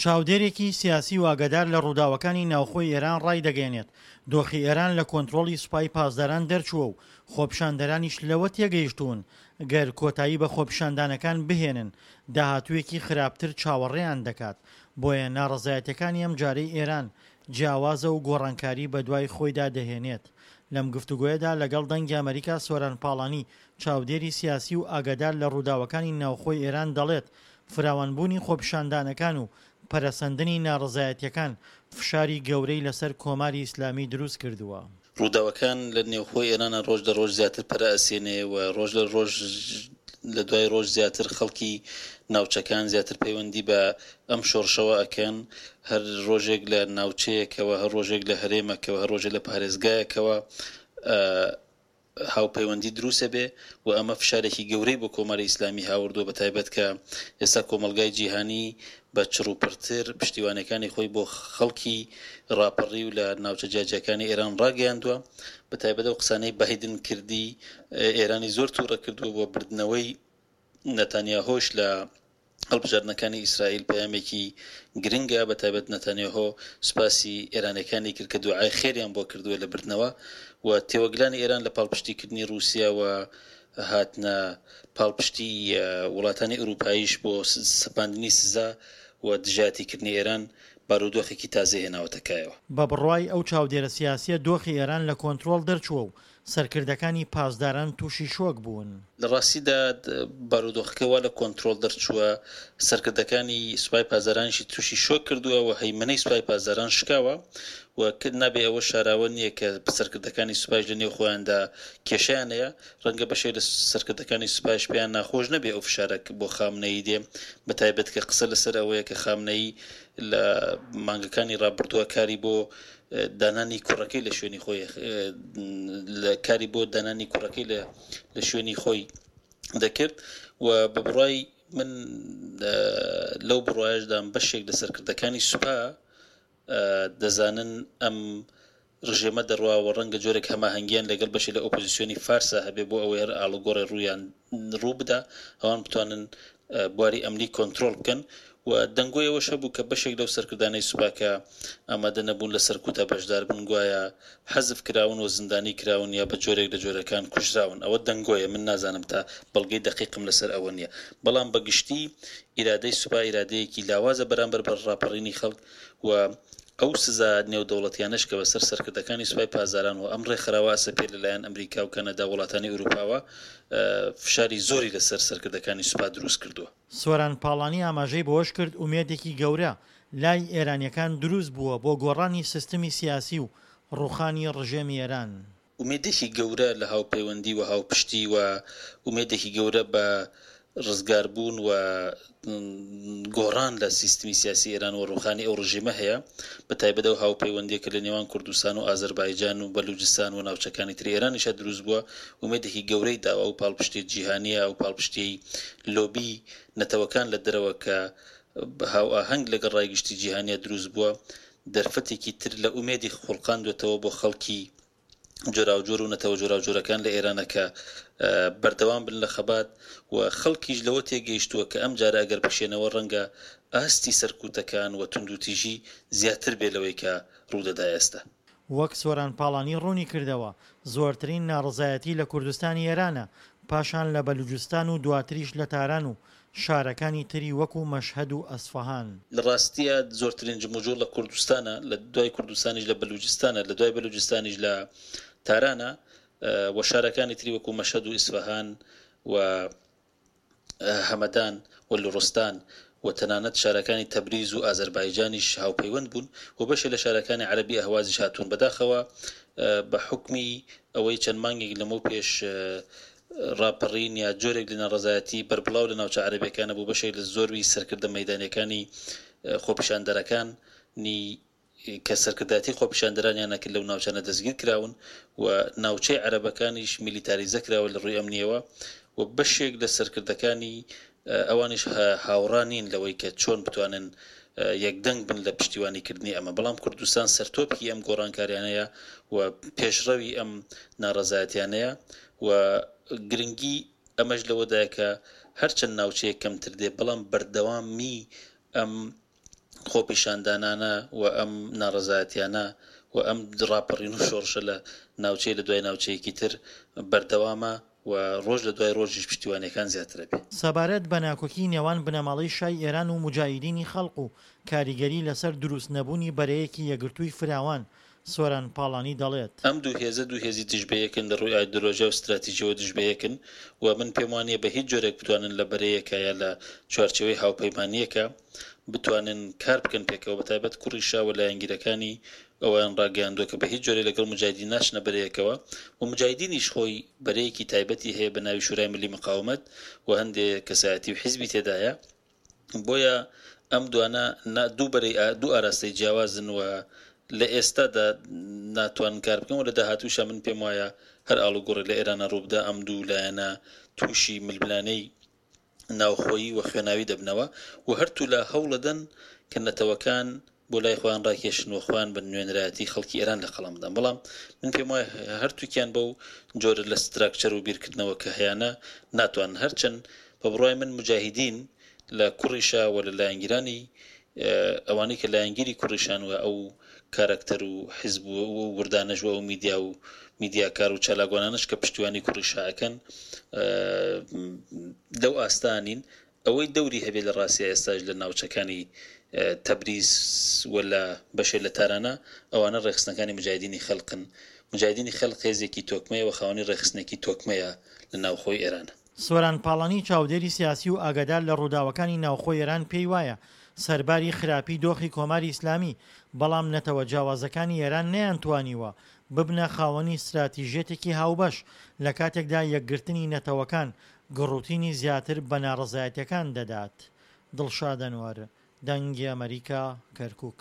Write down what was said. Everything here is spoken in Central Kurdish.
چاودێرێکی سیاسی و ئاگادار لە ڕووداوەکانی ناوخۆی ئێران ڕایدەگەیەنێت، دۆخی ئێران لە کۆنترۆڵی سوپای پاسداران دەرچووە و خۆپیشاندەرانیش لەوە تێگەیشتوون گەر کۆتایی بە خۆپیشاندانەکان بهێنن داهاتوویەکی خراپتر چاوەڕێیان دەکات، بۆیە ناڕەزایەتیەکانی ئەمجارەی ئێران جیاوازە و گۆڕانکاری بەدوای خۆیدا دەهێنێت. لەم گفتوگۆیەدا لەگەڵ دەنگی ئەمەریکا سۆران پاڵانی چاودێری سیاسی و ئاگادار لە ڕووداوەکانی ناوخۆی ئێران دەڵێت فراوانبوونی خۆپیشاندانەکان و پەرەسەندنی ناڕەزایەتیەکان فشاری گەورەی لەسەر کۆماری ئیسلامی دروست کردووە. ڕووداوەکان لە نێوخۆی ئێرانا ڕۆژ لە ڕۆژ زیاتر پەرە ئەسێنێ و ڕۆژ لە ڕۆژ لە دوای ڕۆژ زیاتر خەڵکی ناوچەکان زیاتر پەیوەندی بە ئەم شۆڕشەوە ئەکەن هەر ڕۆژێک لە ناوچەیەکەوە هەر ڕۆژێک لە هەرێمەکەوە هەر ڕۆژێک لە پارێزگایەکەوە هاوپەیوەندی دروست ئەبێ و ئەمە فشارێکی گەورەی بۆ کۆماری ئیسلامی هاوردووە بە تایبەت کە ئێستا کۆمەڵگای جیهانی بە چڕوپڕتر پشتیوانیەکانی خۆی بۆ خەڵکی ڕاپەڕیو لە ناوچە جیاجیاکانی ئێران ڕاگەیاندووە بە تایبەت ئەو قسانەی بایدن کردی ئێرانی زۆر توڕە کردووە بۆ بردنەوەی نەتانیاهۆش لە هەڵبژاردنەکانی ئیسرائیل پەیامێکی گرنگە، بەتایبەت نەتانیاهۆ سوپاسی ئێرانیەکانی کرد کە دوعای خێریان بۆ کردووە لە بردنەوە و تێوەگلانی ئێران لە پاڵپشتیکردنی ڕووسیا و هاتنە پاڵپشتی وڵاتانی ئەوروپاییش بۆ سەپاندنی سزا و دژایەتیکردنی ئێران بارودۆخێکی تازەی هێناوەتە کایەوە. بە بڕوای ئەو چاودێرە سیاسییە دۆخی ئێران لە کۆنترۆڵ دەرچووە و سەرکردەکانی پاسداران تووشی شۆک بوون. لە ڕاستیدا بارودۆخەکە وا لە کۆنترۆڵ دەرچووە، سەرکردەکانی سوپای پاسدارانیشی تووشی شۆک کردووە و هەیمەنەی سوپای پاسداران شکاوە و نابێ ئەوە شاراوە نییە کە سەرکردەکانی سوپایش لە نێو خۆیاندا کێشەیان هەیە، ڕەنگە بەشێک لە سەرکردەکانی سوپایش پێیان ناخۆش نەبێ ئەو فشارە بۆ خامنەیی دێ، بەتایبەت کە قسە لەسەر ئەوەیە کە خامنەیی لە مانگەکانی ڕابردووە کاری بۆ دانانی کوڕەکەی لە شوێنی خۆی لە کاری بۆ دانانی کوڕەکەی لە لە شوێنی خۆی دەکرد و بە بڕای من لەو بڕایشدام بەشێک لە سەرکردەکانی سوپا دەزانن ئەم ڕژێمە دەڕوا و ڕەنگە جۆرێک هەماهەنگیان لەگەڵ بەشێ لە ئۆپۆزیسیۆنی فارسا هەبێ بۆ ئەوەی هەر ئاڵوگۆڕێ ڕوویان ڕوو بدا ئەوان بتوانن بواری ئەمنی کۆنترۆڵ بکەن و دەنگۆی ئەوەش هەبوو کە بەشێک لەو سەرکردانەی سوپا کە ئامادە نەبوون لە سەرکوتا بەشدار بن گوایە حەزف کراون و زیندانی کراون یا بە جۆرێک لە جۆرەکان کوژراون ئەوە دەنگۆیە من نازانم تا بەڵگەی دەقیقم لەسەر ئەوە نییە بەڵام بە گشتی ئیرادەی سوپا ئیرادەیەکی لاوازە بەرامبەر بە ڕاپەڕینی خەڵک و ئەو سزا نێودەوڵەتیانەش کە بەسەر سەرکردەکانی سوپای پاسداران و ئەم ڕێکخراوە ئەسەپێ لەلایەن ئەمریکا و کەنەدا و وڵاتانی ئەوروپاوە فشاری زۆری لەسەر سەرکردەکانی سوپا دروست کردووە. سۆران پاڵانی ئاماژەی بەوەشکرد، ئومێدێکی گەورە لای ئێرانییەکان دروست بووە بۆ گۆڕانی سیستمی سیاسی و ڕووخانی ڕژێمی ئێران. ئومێدێکی گەورە لە هاوپەیوەندی و هاوپشتی و ئومێدێکی گەورە بە ڕزگاربوون و گۆڕان لە سیستمی سیاسی ئێران و ڕووخانی ئەو ڕژێمە هەیە، بە تایبەت ئەو هاوپەیوەندییە کە لە نێوان کوردستان و ئازەربایجان و بەلوجستان و ناوچەکانی تری ئێرانیشا دروست بووە، ئومێدێکی گەورەی داوە ئەو پاڵپشتییە جیهانییە، ئەو پاڵپشتییەی لۆبی نەتەوەکان لە دەرەوە کە هاوئاهەنگ لەگەڵ ڕای گشتی جیهانیا دروست بووە، دەرفەتێکی تر لە ئومێدی خوڵقاندووەتەوە بۆ خەڵکی جۆراوجۆر و نەتەوە جۆراوجۆرەکان لە ئێرانە کە بەردەوام بن لە خەبات و خەڵکیش لەوە تێگەیشتووە کە ئەم جارە ئەگەر بکشێنەوە ڕەنگە ئاستی سەرکوتەکان و توندوتیژی زیاتر بێ لەوەی کە ڕوودەدا ئێستا. وەک سۆران پاڵانی ڕوونی کردەوە، زۆرترین ناڕەزایەتی لە کوردستانی ئێرانە، پاشان لە بەلوجستان و دواتریش لە تاران و شارەکانی تری وەکو مەشهەد و ئەسفەهان. لە ڕاستیا زۆرترین جموجوڵ لە کوردستانە، لە دوای کوردستانیش لە بەلوجستانە، لە دوای بەلوجستانیش لە تارانە و شارەکانی تری وەکو مەشهەد و ئیسفەهان و هەمەدان و لوڕستان و تەنانەت شارەکانی تەبریز و ئازەربایجانیش هاوپەیوەند بوون و بەشێ لە شارەکانی عەرەبی ئەهوازیش هاتوون. بەداخەوە بە حوکمی ئەوەی چەند مانگێک لەمەو پێش ڕاپەڕین یا جۆرێک لە ناڕەزایەتی بەربڵاو لە ناوچە عەرەبیەکانە بوو بەشێک لە زۆربی سەرکردە مەیدانیەکانی خۆپیشاندەرەکان نی کە سەرکردایەتی خۆپیشاندەرانیان نەکرد لەو ناوچانە دەستگیر کراون و ناوچەی عەرەبەکانیش میلیتاریزە کراوە لە ڕووی ئەمنیەوە و بەشێک لە سەرکردەکانی ئەوانیش هاوڕا نین لەوەی کە چۆن بتوانن یەکدەنگ بن لە پشتیوانی کردنی ئەمە، بەڵام کوردستان سەرتۆپی ئەم گۆڕانکاریانەیە و پێشڕەوی ئەم ناڕەزایەتیانەیە و گرنگی ئەمەش لەوەدایە کە هەرچەند ناوچەیەک کەمتر دێ بەڵام بەردەوامی ئەم. خۆپیشاندانانە و ئەم ناڕەزایەتیانە و ئەم ڕاپەڕین و شۆڕشە لە ناوچەی لە دوای ناوچەیەکی تر بەردەوامە و ڕۆژ لە دوای ڕۆژیش پشتیوانیەکان زیاتر ئەبێ. سەبارەت بە ناکۆکی نێوان بنەماڵەی شای ئێران و موجاهیدینی خەڵق و کاریگەری لەسەر دروست نەبوونی بەرەیەکی یەکگرتووی فراوان، سۆران پاڵانی دەڵێت. ئەم دوو هێزە دوو هێزی دژ بەیەکن، لە ڕووی ئایدۆلۆژیا و ستراتیجیەوە دژ بەیەکن و من پێم وانیە بە هیچ جۆرێک بتوانن لە بەرەیەکا یا لە چوارچێوەی هاوپەیمانیەکا بتوانن کار بکەن پێکەوە، بەتایبەت کوڕی شا و لایەنگیرەکانی ئەوەیان ڕاگەیاندووە کە بە هیچ جۆرێک لەگەڵ موجاهیدین ناچنە بەرەیەکەوە و موجاهیدینیش خۆی بەرەیەکی تایبەتی هەیە بە ناوی شورای ملی مقاومەت و هەندێ کەسایەتی و حیزبی تێدایە. بۆیە ئەم دوانە دوو بەرەی دوو ئاراستەی جیاوازن و لە ئێستادا ناتوانن کار بکەن و لە داهاتووشا من پێم وایە هەر ئاڵوگۆڕێک لە ئێرانە ڕووبدا ئەم دوو لایەنە تووشی ململانێی ناوخۆیی و خوێناوی دەبنەوە و هەرتوولا هەوڵەدەن کە نەتەوەکان بۆ لای خۆیان ڕاکێشن و خۆیان بە نوێنەرایەتی خەڵکی ئێران لە قەڵەم بدەن بەڵام من پێم وایە هەرتووکیان بەو جۆرە لە ستراکچەر و بیرکردنەوە کە هەیانە ناتوانن هەرچەند بە بڕوای من موجاهیدین لە کوڕی شا و لە لایەنگیرانی ئەوانەی کە لایەنگیری کوڕی شان و ئەو کارەکتەر و حیزب و وردانەش و ئەو میدیا و میدیاکار و چالاکوانانەش کە پشتیوانی کوڕی شا ئەکەن لەو ئاستە نین ئەوەی دەوری هەبێ لە ڕاستیا ئێستاش لە ناوچەکانی تەبریز و لە بەشێ لە تارانا ئەوانە ڕێکخستنەکانی موجاهیدینی خەلقن. موجاهیدینی خەلق هێزێکی تۆکمەیە و خاوەنی ڕێکخستنێکی تۆکمەیە لە ناوخۆی ئێران. سۆران پاڵانی چاودێری سیاسی و ئاگادار لە ڕووداوەکانی ناوخۆی ئێران پێی وایە سەرباری خراپی دۆخی کۆماری ئیسلامی بەڵام نەتەوە جیاوازەکانی ئێران نەیانتوانیوە ببنە خاوەنی ستراتیژیەتێکی هاوبەش لە کاتێکدا یەکگرتنی نەتەوەکان گڕوتینی زیاتر بە ناڕەزایەتیەکان دەدات. دڵشاد ئەنوەر، دەنگی ئەمەریکا، کەرکوک.